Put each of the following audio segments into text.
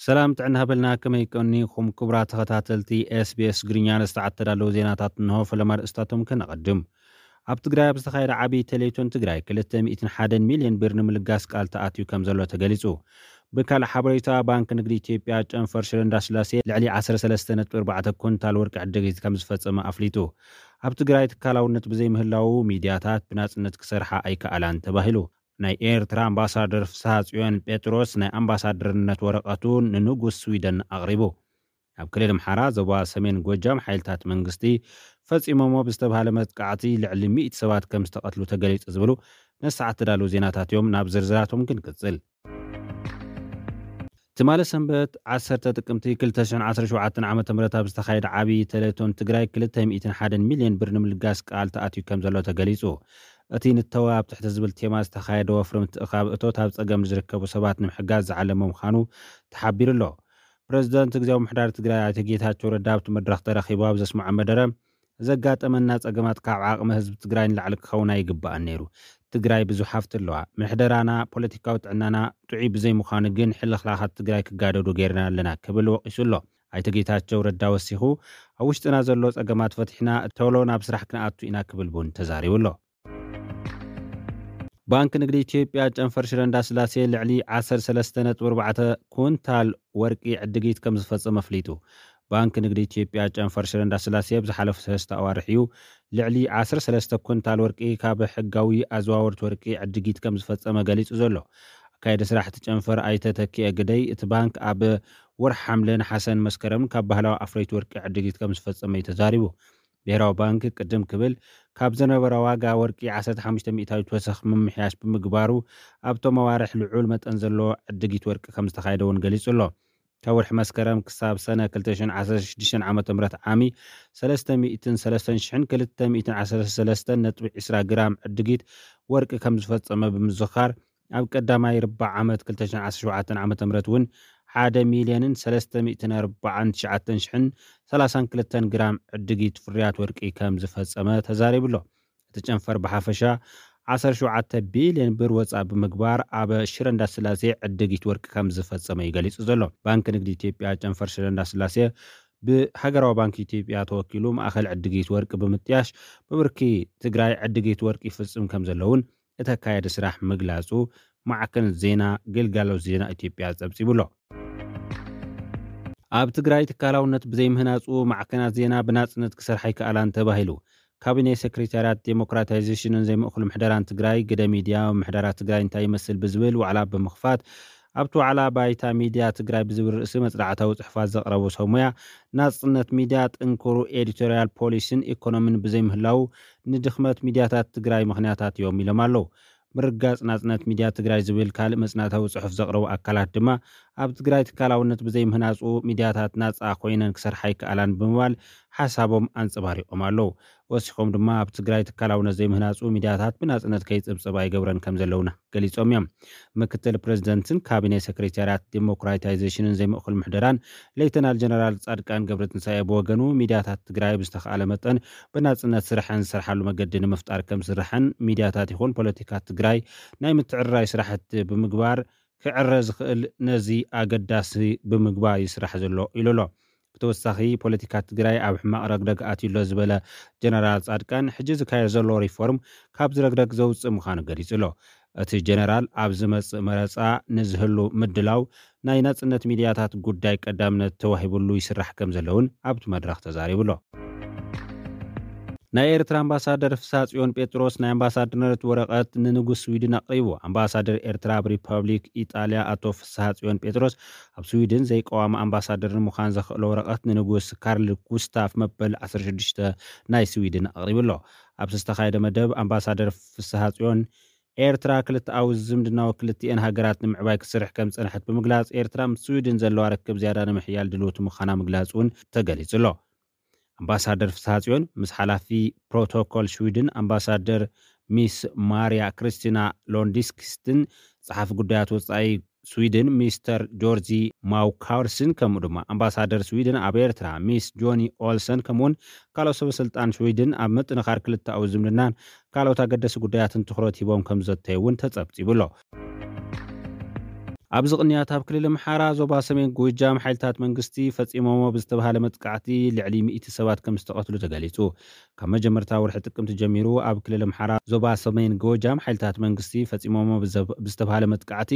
ሰላም ጥዕና ሃበልና፣ ከመይ ቀኒኹም ክቡራት ተኸታተልቲ ኤስቢኤስ ግርኛ? ንሰዓት ተዳለዉ ዜናታት እንሆ። ፈለማ ርእስታቶም ከነቐድም። ኣብ ትግራይ ኣብ ዝተኻየደ ዓብዪ ቴሌቶን ትግራይ ክልተ ሚእትን ሓደን ሚልዮን ብር ንምልጋስ ቃል ተኣትዩ ከም ዘሎ ተገሊጹ። ብካልእ ሓበሬታ፣ ባንክ ንግዲ ኢትዮጵያ ጨንፈር ሽረ እንዳስላሴ ልዕሊ ዓሰርተ ሰለስተ ነጥቢ ኣርባዕተ ኩንታል ወርቂ ዕድጊት ከም ዝፈጸመ ኣፍሊጡ። ኣብ ትግራይ ትካላውነት ብዘይምህላዉ ሚድያታት ብናጽነት ክሰርሓ ኣይከኣላን ተባሂሉ። ናይ ኤርትራ ኣምባሳደር ፍስሃ ጽዮን ጴጥሮስ ናይ ኣምባሳደርነት ወረቐቱ ንንጉስ ስዊደን ኣቕሪቡ። ኣብ ክልል ኣምሓራ ዞባ ሰሜን ጎጃም ሓይልታት መንግስቲ ፈጺሞሞ ብዝተባሃለ መጥቃዕቲ ልዕሊ ሚእቲ ሰባት ከም ዝተቐትሉ ተገሊጹ ዝብሉ ነሰዓት ተዳለዉ ዜናታት እዮም። ናብ ዝርዝራቶም ክንቅጽል። ትማሊ ሰንበት ዓሰርተ ጥቅምቲ ክልተ ሽሕን ዓሰርተ ሸውዓተን ዓመተ ምህረት ኣብ ዝተኻየደ ዓብዪ ቴሌቶን ትግራይ ክልተ ሚእትን ሓደን ሚልዮን ብር ንምልጋስ ቃል ተኣትዩ ከም ዘሎ ተገሊጹ። እቲ ንተወ ኣብ ትሕቲ ዝብል ቴማ ዝተኻየደ ወፍሪ ምትእኻብ እቶት ኣብ ጸገም ንዝርከቡ ሰባት ንምሕጋዝ ዝዓለመ ምዃኑ ተሓቢሩ ኣሎ። ፕረዚደንት ግዝያዊ ምምሕዳር ትግራይ ኣይተ ጌታቸው ረዳ ኣብቲ መድረኽ ተረኺቡ ኣብ ዘስምዖ መደረ፣ ዘጋጠመና ጸገማት ካብ ዓቕሚ ህዝቢ ትግራይ ንላዕሊ ክኸውን ኣይግባእን ነይሩ። ትግራይ ብዙሕ ሃፍቲ ኣለዋ። ምሕደራና፣ ፖለቲካዊ ጥዕናና ጥዑይ ብዘይምዃኑ ግን ሕልኽላኻት ትግራይ ክጋደዱ ገይርና ኣለና ክብል ወቒሱ ኣሎ። ኣይተ ጌታቸው ረዳ ወሲኹ፣ ኣብ ውሽጥና ዘሎ ጸገማት ፈቲሕና ቶሎ ናብ ስራሕ ክንኣቱ ኢና ክብል እውን ተዛሪቡ ኣሎ። ባንክ ንግዲ ኢትዮጵያ ጨንፈር ሽረ እንዳስላሴ ልዕሊ ዓሰርተ ሰለስተ ነጥቢ ኣርባዕተ ኩንታል ወርቂ ዕድጊት ከም ዝፈጸመ ኣፍሊጡ። ባንክ ንግዲ ኢትዮጵያ ጨንፈር ሽረ እንዳስላሴ ኣብ ዝሓለፉ ሰለስተ ኣዋርሕ እዩ ልዕሊ ዓሰርተ ሰለስተ ኩንታል ወርቂ ካብ ሕጋዊ ኣዘዋወርቲ ወርቂ ዕድጊት ከም ዝፈጸመ ገሊጹ ዘሎ። ኣካየዲ ስራሕ እቲ ጨንፈር ኣይተ ተኪኤ ግደይ፣ እቲ ባንክ ኣብ ወርሒ ሓምለ፣ ነሓሰን መስከረምን ካብ ባህላዊ ኣፍረይቲ ወርቂ ዕድጊት ከም ዝፈጸመ እዩ ተዛሪቡ። ብሄራዊ ባንክ ቅድም ክብል ካብ ዝነበረ ዋጋ ወርቂ ዓሰርተ ሓሙሽተ ሚእታዊት ወሰኽ ምምሕያሽ ብምግባሩ ኣብቶም ኣዋርሕ ልዑል መጠን ዘለዎ ዕድጊት ወርቂ ከም ዝተኻየደ እውን ገሊጹ ኣሎ። ካብ ወርሒ መስከረም ክሳብ ሰነ ክልተ ሽሕን ዓሰርተ ሽዱሽተን ዓመተ ምህረት ዓሚ ሰለስተ ሚእትን ሰለስተን ሽሕን ክልተ ሚእትን ዓሰርተ ሰለስተን ነጥቢ ዕስራ ግራም ዕድጊት ወርቂ ከም ዝፈጸመ ብምዝኻር፣ ኣብ ቀዳማይ ርባዕ ዓመት ክልተ ሽሕን ዓሰርተ ሸውዓተን ዓመተ ምህረት እውን ሓደ ሚልዮንን ሰለስተ ሚእትን ኣርባዓን ትሽዓተን ሽሕን ሰላሳን ክልተን ግራም ዕድጊት ፍርያት ወርቂ ከም ዝፈጸመ ተዛሪቡ ኣሎ። እቲ ጨንፈር ብሓፈሻ ዓሰርተ ሸውዓተ ቢልዮን ብር ወጻኢ ብምግባር ኣብ ሽረ እንዳስላሴ ዕድጊት ወርቂ ከም ዝፈጸመ እዩ ገሊጹ ዘሎ። ባንክ ንግዲ ኢትዮጵያ ጨንፈር ሽረ እንዳስላሴ ብሃገራዊ ባንክ ኢትዮጵያ ተወኪሉ ማእኸል ዕድጊት ወርቂ ብምጥያሽ ብብርኪ ትግራይ ዕድጊት ወርቂ ይፍጽም ከም ዘለውን እቲ ኣካያዲ ስራሕ ምግላጹ ማዕከን ዜና ግልጋሎት ዜና ኢትዮጵያ ጸብጺቡ ኣሎ። ኣብ ትግራይ ትካላውነት ብዘይምህናጹ ማዕከናት ዜና ብናጽነት ክሰርሓ ኣይከኣላን ተባሂሉ። ካቢኔ ሴክሬታርያት ዴሞክራታይዜሽንን ዘይምእኩል ምሕደራን ትግራይ፣ ግደ ሚድያ፣ ምሕደራ ትግራይ እንታይ ይመስል ብዝብል ዋዕላ ብምኽፋት፣ ኣብቲ ዋዕላ ባይታ ሚድያ ትግራይ ብዝብል ርእሲ መጽናዕታዊ ጽሑፋት ዘቕረቡ ሰብ ሞያ፣ ናጽነት ሚድያ፣ ጥንኩሩ ኤዲቶርያል ፖሊሲን ኢኮኖሚን ብዘይምህላው ንድኽመት ሚድያታት ትግራይ ምኽንያታት እዮም ኢሎም ኣለዉ። ምርጋጽ ናጽነት ሚድያ ትግራይ ዝብል ካልእ መጽናዕታዊ ጽሑፍ ዘቕረቡ ኣካላት ድማ፣ ኣብ ትግራይ ትካላውነት ብዘይምህናጹ ሚድያታት ናጻ ኮይነን ክሰርሓ ኣይከኣላን ብምባል ሓሳቦም ኣንጸባሪቖም ኣለዉ። ወሲኾም ድማ፣ ኣብ ትግራይ ትካላውነት ዘይምህናጹ ሚድያታት ብናጽነት ከይጽብጸባ ይገብረን ከም ዘለውና ገሊጾም እዮም። ምክትል ፕረዚደንትን ካቢኔ ሴክሬታርያት ዴሞክራታይዜሽንን ዘይምእኩል ምሕደራን ሌተናል ጀነራል ጻድቃን ገብረትንሳኤ ብወገኑ፣ ሚድያታት ትግራይ ብዝተኻእለ መጠን ብናጽነት ስርሐን ዝሰርሓሉ መገዲ ንምፍጣር ከም ዝስራሕን፣ ሚድያታት ይኹን ፖለቲካ ትግራይ ናይ ምትዕርራይ ስራሕቲ ብምግባር ክዕረ ዝኽእል ነዚ ኣገዳሲ ብምግባር ይስራሕ ዘሎ ኢሉ ኣሎ። ብተወሳኺ፣ ፖለቲካ ትግራይ ኣብ ሕማቕ ረግረግ ኣትዩ ኣሎ ዝበለ ጀነራል ጻድቃን፣ ሕጂ ዝካየድ ዘሎ ሪፎርም ካብዚ ረግረግ ዘውጽእ ምዃኑ ገሊጹ ኣሎ። እቲ ጀነራል ኣብ ዝመጽእ መረጻ ንዝህሉ ምድላው ናይ ናጽነት ሚድያታት ጉዳይ ቀዳምነት ተዋሂብሉ ይስራሕ ከም ዘለውን ኣብቲ መድረኽ ተዛሪቡ ኣሎ። ናይ ኤርትራ ኣምባሳደር ፍስሃ ጽዮን ጴጥሮስ ናይ ኣምባሳደርነት ወረቐት ንንጉስ ስዊድን ኣቕሪቡ። ኣምባሳደር ኤርትራ ኣብ ሪፐብሊክ ኢጣልያ ኣቶ ፍስሃ ጽዮን ጴጥሮስ፣ ኣብ ስዊድን ዘይቀዋሚ ኣምባሳደር ንምዃን ዘኽእሎ ወረቐት ንንጉስ ካርል ጉስታፍ መበል ዓሰርተ ሽዱሽተ ናይ ስዊድን ኣቕሪቡ ኣሎ። ኣብ ዝተኻየደ መደብ፣ ኣምባሳደር ፍስሃ ጽዮን፣ ኤርትራ ክልተኣዊ ዝምድናዊ ክልቲኤን ሃገራት ንምዕባይ ክትሰርሕ ከም ዝጸንሐት ብምግላጽ፣ ኤርትራ ምስ ስዊድን ዘለዋ ርክብ ዝያዳ ንምሕያል ድልውቲ ምዃና ምግላጽ እውን ተገሊጹ ኣሎ። ኣምባሳደር ፍስሃ ጽዮን ምስ ሓላፊ ፕሮቶኮል ስዊድን ኣምባሳደር ሚስ ማርያ ክርስቲና ሎንዲስክስትን፣ ጸሓፊ ጉዳያት ወጻኢ ስዊድን ሚስተር ጆርጂ ማውካርስን፣ ከምኡ ድማ ኣምባሳደር ስዊድን ኣብ ኤርትራ ሚስ ጆኒ ኦልሰን፣ ከምኡውን ካልኦት ሰበ ስልጣን ስዊድን ኣብ ምጥንኻር ክልተኣዊ ዝምድናን ካልኦት ኣገደሲ ጉዳያትን ትኹረት ሂቦም ከም ዘተዩ እውን ተጸብጺቡ ኣሎ። ኣብዚ ቅንያት ኣብ ክልል ኣምሓራ ዞባ ሰሜን ጎጃም ሓይልታት መንግስቲ ፈጺሞሞ ብዝተባሃለ መጥቃዕቲ ልዕሊ ሚእቲ ሰባት ከም ዝተቐትሉ ተገሊጹ። ካብ መጀመርታ ወርሒ ጥቅምቲ ጀሚሩ ኣብ ክልል ኣምሓራ ዞባ ሰሜን ጎጃም ሓይልታት መንግስቲ ፈጺሞሞ ብዘብ-፣ ብዝተባሃለ መጥቃዕቲ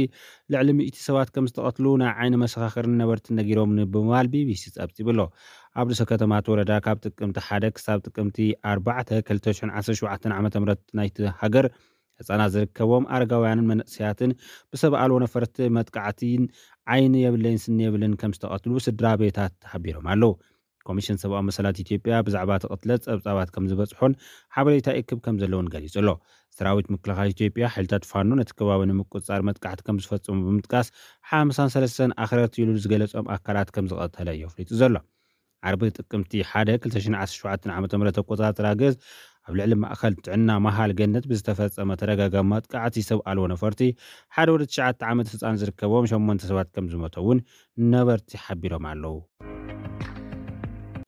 ልዕሊ ሚእቲ ሰባት ከም ዝተቐትሉ ናይ ዓይኒ መሰኻኽርን ነበርትን ነጊሮም ብምባል ቢቢሲ ጸብጺቡ ኣሎ። ኣብ ርእሰ ከተማ እቲ ወረዳ ካብ ጥቅምቲ ሓደ ክሳብ ጥቅምቲ ኣርባዕተ ክልተ ሽሕን ዓሰርተ ሸውዓተን ዓመተ ምህረት ናይቲ ሃገር ህጻናት ዝርከቦም ኣረጋውያንን መንእሰያትን ብሰብ ኣልቦ ነፈርቲ መጥቃዕቲን ዓይኒ የብለይን ስኒ የብልን ከም ዝተቐትሉ ስድራ ቤታት ሓቢሮም ኣለዉ። ኮሚሽን ሰብኣዊ መሰላት ኢትዮጵያ ብዛዕባ እቲ ቅትለት ጸብጻባት ከም ዝበጽሖን ሓበሬታ ይእክብ ከም ዘለውን ገሊጹ ኣሎ። ሰራዊት ምክልኻል ኢትዮጵያ ሓይልታት ፋኖ ነቲ ከባቢ ንምቁጽጻር መጥቃዕቲ ከም ዝፈጸሙ ብምጥቃስ ሓምሳን ሰለስተን ኣኽረርቲ ኢሉ ዝገለጾም ኣካላት ከም ዝቐተለ እዩ ኣፍሊጡ ዘሎ። ዓርቢ ጥቅምቲ ሓደ ክልተ ሽሕን ዓሰርተ ሸውዓተን ዓመተ ምህረት ኣቆጻጽራ ግእዝ ኣብ ልዕሊ ማእከል ጥዕና መሃል ገነት ብዝተፈጸመ ተደጋጋሚ መጥቃዕቲ ሰብ ኣልቦ ነፈርቲ ሓደ ወዲ ትሽዓተ ዓመት ህጻን ዝርከቦም ሸሞንተ ሰባት ከም ዝሞተ እውን ነበርቲ ሓቢሮም ኣለዉ።